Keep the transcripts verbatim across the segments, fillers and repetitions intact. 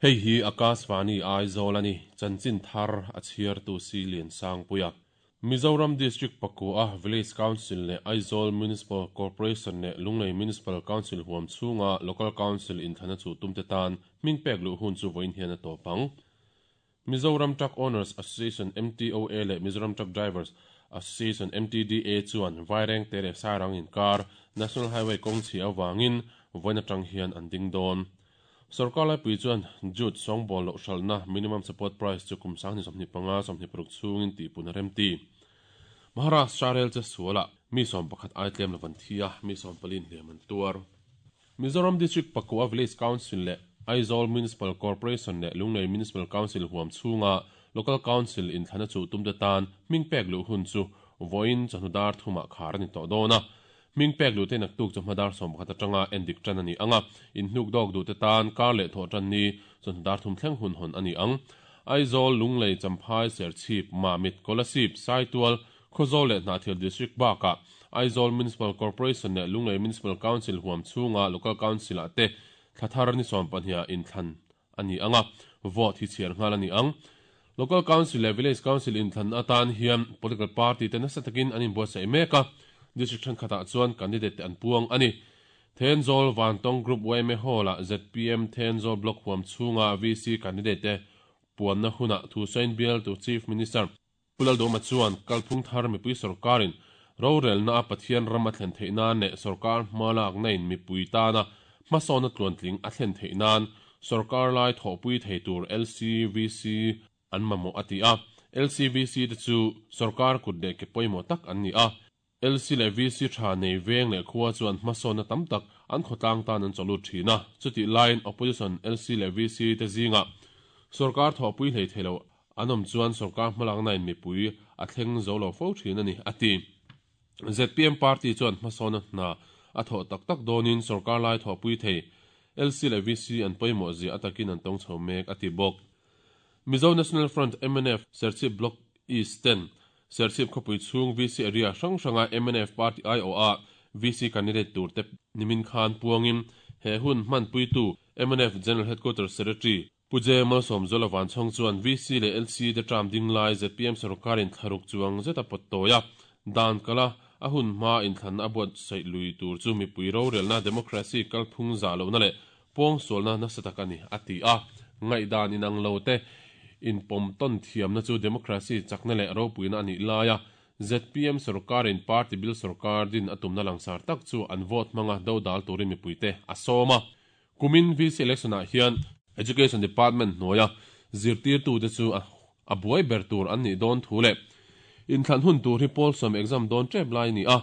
Hei hi Akashvani Aizawl ani chanchin thar a chhiar tu si lian sang puia Mizoram District Pakua Village Council le Aizawl Municipal Corporation le Lunglei Municipal Council huam chunga Local Council in thana chu tumte tan mingpek lu hun chu voin hian a topang Mizoram Truck Owners Association M T O A le Mizoram Truck Drivers Association M T D A chuan Vaireng tere Sairang in kar National Highway kong chi awangin voina tang hian an ding don Sarkar lai pui chuan jute songball lo hral minimum support price chu kum sang ni somni panga somni paruk chungin ti pun rem ti Maharashtra rel che suala mi som pakhat ai tlem lavan thia mi som palin hleman tuar Mizoram District Pakua Village Council le Aizawl Municipal Corporation le Lunglei Municipal Council huam chunga Local Council in thana chu tumte tan mingpek lu hun chu voin chanudar thuma khar ni to dona mingpek lu te nak tuk chawhmadar som pakhat atanga endik tan ani anga in hnuk dog du te tan kar le tho tan ni chawhdar thum thleng hun hon ani ang Aizawl Lunglei Champhai Serchhip Mamit Kolasib Saitual Khawzawl le Hnahthial District baka Aizawl Municipal Corporation le Lunglei Municipal Council huam chunga Local Council ate thlathar ni som pahnia in thlan ani anga vote hi chhiar nghal ani ang Local Council le Village Council in thlan atan hian political party te nasa takin anin buatsaih mek a District than khata chuan candidate an puang ani Thenzawl Vantong Group Y M A Hall a Z P M Thenzawl Block huam chunga V C candidate te puan na huna thu sain bial to Chief Minister Pulal Doma chuan kalphung thar mipui sarkarin rorel na Pathian ram a thlen theih nan leh sarkar hmalak na in mipui tana hmasawna tluantling a thlen theih nan sarkar lai thawhpui thei tur L C V C an mamawh a ti a L C V C te chu sarkar kut leh ke pawimawh tak an ni a L C le V C tha nei veng le khuwa chuan hmasawna tam tak an khawtlang tan an chawlut thina chuti line opposition L C le V C te zinga sarkar thawhpui hlei theilo anom chuan sarkar hmalak na in mipui a thleng zo lo fo thin ani ati Z P M party chuan hmasawna hna a thaw tak tak donin sarkar lai thawhpui thei L C le V C an pawimawh zia atakin an tawng chho mek ati bawk Mizo National Front M N F Serchhip Block East ten Serchhip khawpui chhung V C area hrang hranga M N F party I O A V C candidate tur te nimin khan puangin he hun hman puitu M N F General Headquarters Secretary Puje Malsawm Zolavan chhong chuan V C le L C te tram ding lai Z P M sarkarin thlaruk chuang zeta pawt dan kala a hun hma in thlan a buat saih lui tur chu mipui rorelna democracy kalphung za lo na le pawng sualna nasa tak ani ati a ngaihdan inang lo te in pom ton thiam na chu democracy chakna le ropuina ani laia Z P M sarkarin party bill sarkar din atumna langsar tak chu an vote manga do dal turin mipuite a sawma kumin V C election ah hian Education Department hnuaia zirtir tu te chu a buai ber tur an ni dawn thu le in thlan hun tur hi pawl sawm exam dawn tep lai ni a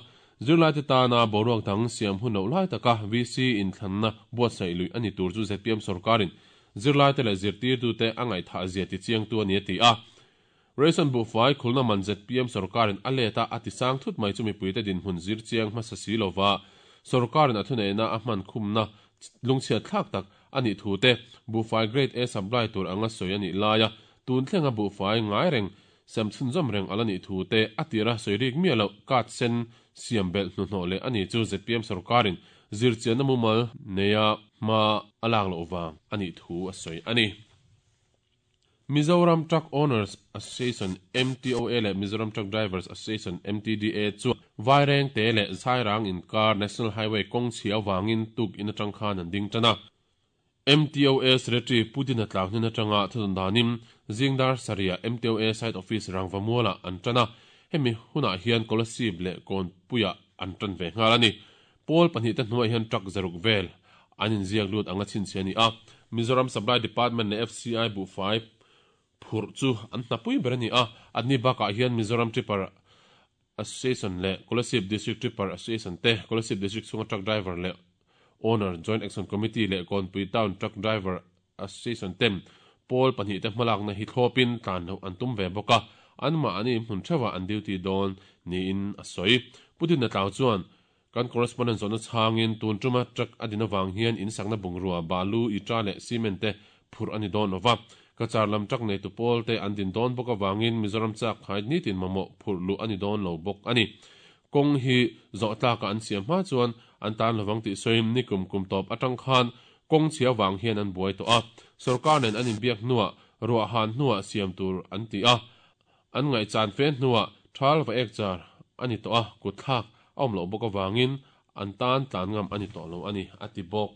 zirlai te tana boruak dang siam hun lo lai taka V C in thlanna buatsaih lui ani tur chu Z P M sarkarin zirlai te le zirtir tu te angai tha zia ti chiang tu ani ti a Ration bu fai khulna man Z P M sarkarin a leta ati sang thut mai chu mipui te din hun zir chiang hmasa si lova sarkarin a thunei na a hman khumna lungchhia thlak tak ani thu te bu fai grade A supply tur anga soi ani laia tun thlenga bu fai ngai reng sem chhun zam reng alani thu te atira soirik mi lo kat sen siam bel hnu hno le ani chu Z P M sarkarin zir chian na mumal neya ma alak lo wang ani thu a soi ani Mizoram Truck Owners Association M T O A le Mizoram Truck Drivers Association M T D A chu Vaireng te le Sairang in kar National Highway kong chhia wangin tuk in atang khan an ding tana M T O A Secretary Putin atlak hnin atanga thudun danim Zingdar Saria M T O A Site Office Rangvamuala an tana hemi huna hian Kolasib le Kawnpuia an tan ve nghal ani Paul pahnih te hnuai hian truck zaruk vel an in ziak lut anga chin che ani a Mizoram Supply Department le F C I bu fai phur chu an hnapui ber ani a adni bakah hian Mizoram Tipper Association le Kolasib District Tipper Association te Kolasib District chunga truck driver le Owner Joint Action Committee le Kawnpui Town Truck Driver Association tem Paul pahnih te hmalak na hi thlawpin tlan lo an tum ve bawk a an ma ani hmun thewa an duty dawn niin a sawi Putin na tlau chuan kan correspondent zona changin tun tuma truck adina wang hian in sakna bungrua balu itra le cement te phur ani dawn lova kachar lam truck nei tu pawl te an din dawn bawk awangin Mizoram chak khai ni tin mamawh phur lu ani dawn lo bawk ani kong hi zawh tlaka an siam hma chuan an tan lovang tih sawiin ni kum kum tawp atang khan Kawng chhia vang hian an buai tawh a, sorkar nen an inbiak hnuah ruah han hnuah siam tur an ti a, an ngaihchan fe hnuah thal va ek char a ni tawh a, kutthlak a awm loh bawk avangin an tan tlan ngam a ni tawh lo a ni, a ti bawk.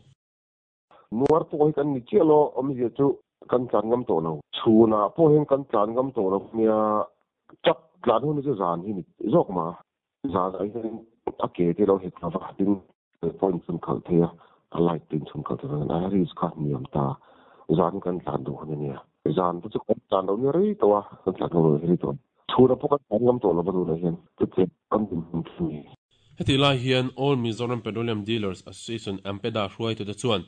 Nuar pawh hi kan ni chiah lo, awmzia chu kan tlan ngam tawh lo. Chhunah pawh hian kan tlan ngam tawh lo nia, chak tlan hun chu zan hi ni zawk ma. Zan ah hian a ke te lo het lova tin point chhun khalh thei a, a light tin chhun khalh thei a, a risk kha hniam ta. Zan kan tlan duh hun a nia. Zan te chu kan tlan lo nia rei tawh a, kan tlan ngam lo rei tawh. Chhunah pawh kan tlan ngam tawh lo va tunah hian chutiang kan dinhmun chu ni. Hetih lai hian All Mizoram Petroleum Dealers Association AMPEDA hruaitute chuan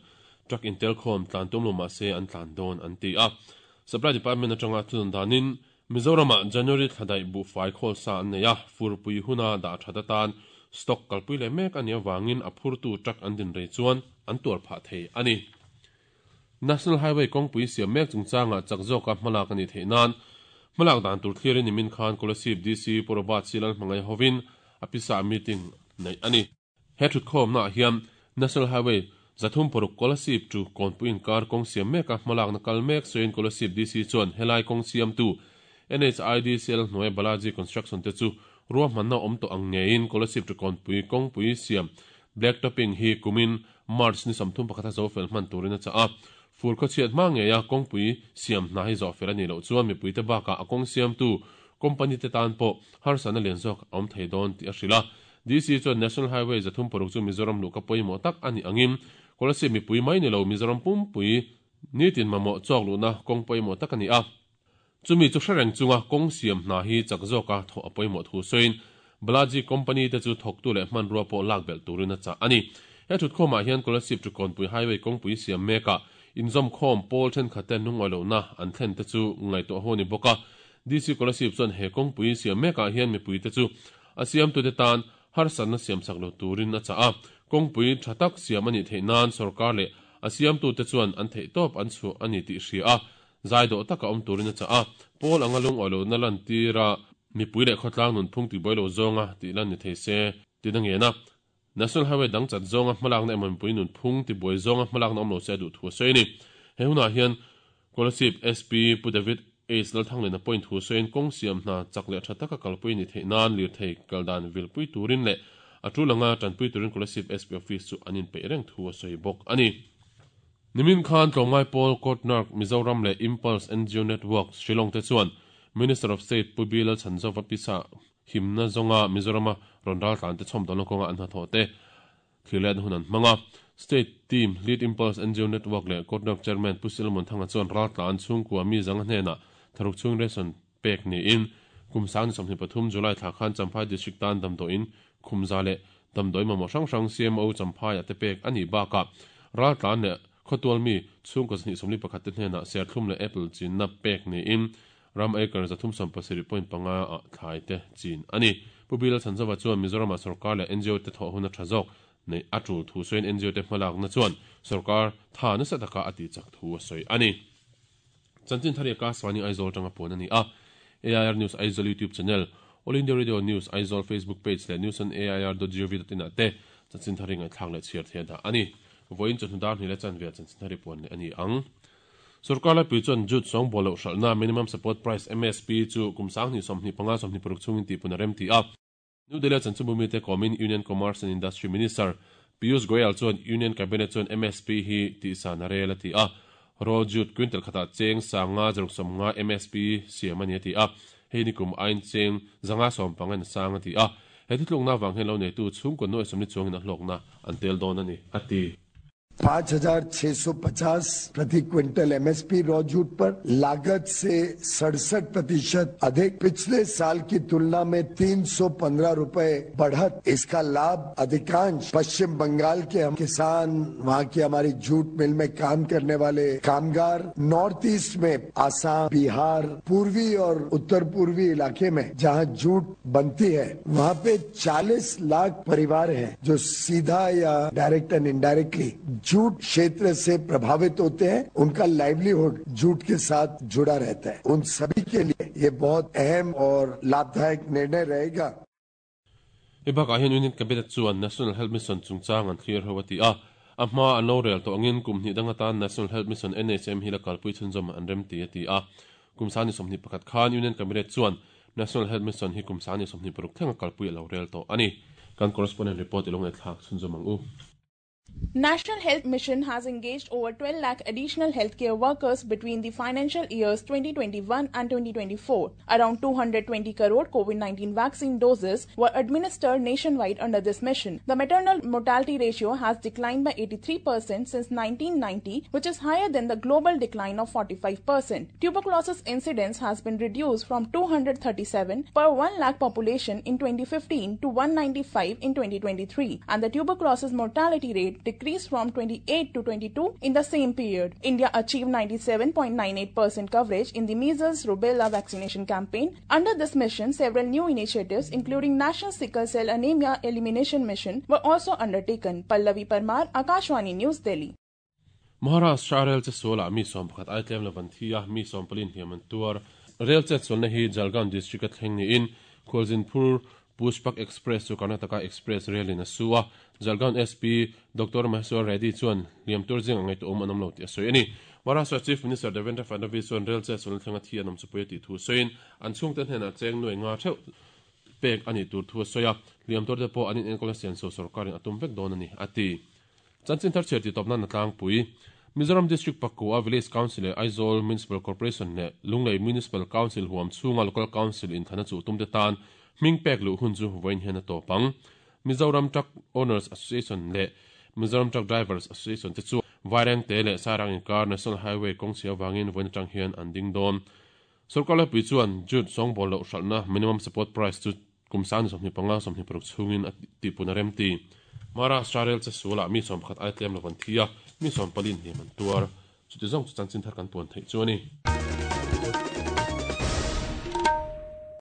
truck intel khawm tlan tum lo mahse an tlan dawn an ti a. Supply Department atanga thunun danin Mizoramah January thla daih buhfai khawl sa an nei a, furpui huna dah that atan stock kalpui leh mek a nih avangin a phurtu truck an din rei chuan an tuar phah thei a ni. National Highway kawngpui siam mek chungchangah chak zawka hmalak a nih theih nan hmalak dan tur thlirin nimin khan Kolasib D C Pu Robert C Lalhmangaih hovin a pisa meeting neih a ni. He thutkhawmnaah hian National Highway zathum paruk Kolasib to Kawnpui inkar kawng siam meka hmalakna kal mek sawiin Kolasib D C chuan helai kawng siamtu N H I D C L hnuai Balaji Construction te chu ruahmanna awm tawh ang ngeiin Kolasib to Kawnpui kawngpui siam blacktopping hi kumin March ni sawmthum pakhat a zo fel hman turin a chah a. Fur khawchhiat hma ngeia kawngpui siam hna hi zawh fel a nih loh chuan mipuite bakah a kawng siamtu company te tan pawh harsatna lian zawk a awm thei dawn tih a hrilh a. D C chuan National Highway zathum paruk chu Mizoram luhka pawimawh tak a nih angin Kolasib mipui mai ni lo Mizoram pumpui nitin mamawh chawk luhna kawng pawimawh tak a ni a. Chumi chu hrereng chunga kawng siam hna hi chak zawka thawh a pawimawh thu sawiin Balaji company te chu thawktu leh hmanrua pawh lak belh turin a chah a ni. He thutkhawmah hian Kolasib to Kawnpui Highway kawngpui siam mekah inzawm khawm pawl thenkhat ten lungngawi lohna an thlen te chu ngaihtuah ho ni bawk a. D C Kolasib chuan he kawngpui siam mekah hian mipui te chu a siamtute tan harsatna siam sak lo turin a chah a. Kawngpui tha tak siam a nih theih nan sorkar leh a siamtute chuan an theih tawp an chhuah a ni tih hria a, zai dawh taka awm turin a chah a. Pawl anga lungngawi lohna lan tira mipui leh khawtlang nunphung tibuai lo zawnga tih lan ni thei se tina ngen a. National Highway dang chat zawnga hmalakna emaw mipui nunphung tibuai zawnga hmalakna awm lo se a duh thu a sawi a ni. He hunah hian Kolasib S P Pu David Ace Lalthanglena point thu sawiin kawng siam hna chak leh tha taka kalpui ni theih nan lirthei kaldan vilpui turin leh a tul anga tanpui turin Kolasib S P office chu an inpeih reng thu a sawi bawk a ni. Nimin khan tlawmngai pawl Kotnark Mizoram leh Impulse N G O Network Shillong te chuan Minister of State Pu B Lalchhanzova pisa himna zawnga Mizorama rawn ral tlan te chhawm dawlna kawnga an hnathawh te thlir hun an hmang a. State Team Lead Impulse N G O Network leh Kotnark Chairman Pu Silmon Thanga chuan ral tlan chhungkua mi zanga hnenah tharuk chung ration pek niin kum sang ni sawmhnih pathum July thla khan Champhai District tan damdawiin khumza leh damdawi mamawh hrang hrang C M O Champhai a te pek ani bakah ral tlan leh khawtual mi chhungkaw zahnih sawmli pakhat te hnenah serthlum leh apple chinna pek niin ram acre zathum sawm pasarih point panga a thlai te chin ani. Pu B Lalchhanzova chuan Mizorama sorkar leh N G O te thawh hun a tha zawk nei a tul thu sawiin N G O te hmalakna chuan sorkar tha nasa taka a ti chak thu a sawi ani. Chanchin thari ka swani Aizawl tanga puan ani a. A I R News Aizawl YouTube channel, All India Radio News Aizawl Facebook page leh news on A I R dot gov dot in te chanchin thari ngai thlak leh chhiar thei da ani. Voin chu hnudar ni le chan ve chanchin thari puan le ani ang. Sarkar lai pui chuan jute sawng bolo hralhna minimum support price M S P chu kum sang ni sawmhnih panga sawmhnih paruk chungin ti pun a rem ti a. New Delhi chanchinbu mi te komin Union Commerce and Industry Minister Piyush Goyal chuan Union Cabinet chuan M S P hi ti san a rel a ti a. Raw jute quintal khata cheng sanga zaruk sawmnga M S P siam ani a ti a. Hei ni kum ain cheng zanga sawm pangan sang a ti a. He ti tlukna wang hen lo nei tu chhungkaw nuai sawmli chuangin a hlawkna an tel dawn ani a ti. पांच हजार छह सौ पचास प्रति quintal M S P raw jute पर लागत से सड़सठ प्रतिशत अधिक, पिछले साल की तुलना में तीन सौ पंद्रह रूपए बढ़त। इसका लाभ अधिकांश पश्चिम बंगाल के हम किसान, वहाँ की हमारी जूट मिल में काम करने वाले कामगार, नॉर्थ ईस्ट में आसाम, बिहार, पूर्वी और उत्तर पूर्वी इलाके में जहाँ जूट बनती है, वहाँ पे चालीस लाख परिवार हैं जो सीधा या direct and indirectly jute क्षेत्र से प्रभावित होते हैं। उनका लाइवलीहुड जूट के साथ जुड़ा रहता है। उन सभी के लिए ये बहुत अहम और लाभदायक निर्णय रहेगा। E bakah hian Union Cabinet chuan National Health Mission chungchang an thlir ho a ti a. A hma an lo rel tawh angin kum hnih dang atan National Health Mission N H M hi la kalpui chhunzawm an rem ti a ti a. Kum sangni sawmhnih pakhat khan Union Cabinet chuan National Health Mission hi kum sangni sawmhnih paruk thlenga kalpui a lo rel tawh a ni. Kan correspondent report i lo ngaihthlak chhunzawm ang u. National Health Mission has engaged over twelve lakh additional healthcare workers between the financial years twenty twenty-one and twenty twenty-four. Around two hundred twenty crore COVID nineteen vaccine doses were administered nationwide under this mission. The maternal mortality ratio has declined by eighty-three percent since nineteen ninety, which is higher than the global decline of forty-five percent. Tuberculosis incidence has been reduced from two hundred thirty-seven per one lakh population in twenty fifteen to one hundred ninety-five in twenty twenty-three, and the tuberculosis mortality rate decreased from twenty-eight to twenty-two in the same period. India achieved ninety-seven point nine eight percent coverage in the measles rubella vaccination campaign. Under this mission, several new initiatives, including National Sickle Cell Anemia Elimination Mission, were also undertaken. Pallavi Parmar, Akashwani News, Delhi. Maharashtra rel chetsualah mi sawm pakhat ai tlem lo an thi a, mi sawm pali hliam an tuar. Rel chetsualna hi Jalgaon district a thleng niin khualzin phur Pushpak Express chu Karnataka Express relin a su a. Jalgaon S P Doctor Maheshwar Reddy chuan hliam tur zing angai tu awm an awm lo tih a sawi a ni. Maharashtra Chief Minister Devendra Fadnavis chuan rel chetsualna thlenga thi an awm chu pawi a tih thu sawiin an chhungte hnenah cheng nuai nga theuh pek ani tur thu a sawi a, hliam tur te pawh an in enkawl sian so sarkarin a tum vek dawn ani a ti. Chanchin thar chhiar ti tawp nan a tlangpui. Mizoram District pakua Village Council leh Aizawl Municipal Corporation leh Lunglei Municipal Council huam chhunga Local Council inthana chu tumte tan hming pek luh hun chu vawiin hian a tawp ang. Mizoram Truck Owners Association leh Mizoram Truck Drivers Association te chu Vairengte leh Sairang inkar National Highway kawng chhia wangin vawiin atang hian an ding dawn. Sarkar laipui chuan jute sawngbawl loh hralhna minimum support price chu kum sangni sawmhnih panga sawmhnih paruk chhungin a tihpun a rem ti. Maharashtra rel chetsualah mi sawm pakhat ai tlem lo an thi a, mi sawm pali hliam an tuar. Chuti zawng chu chanchin thar kan puan theih chu a ni.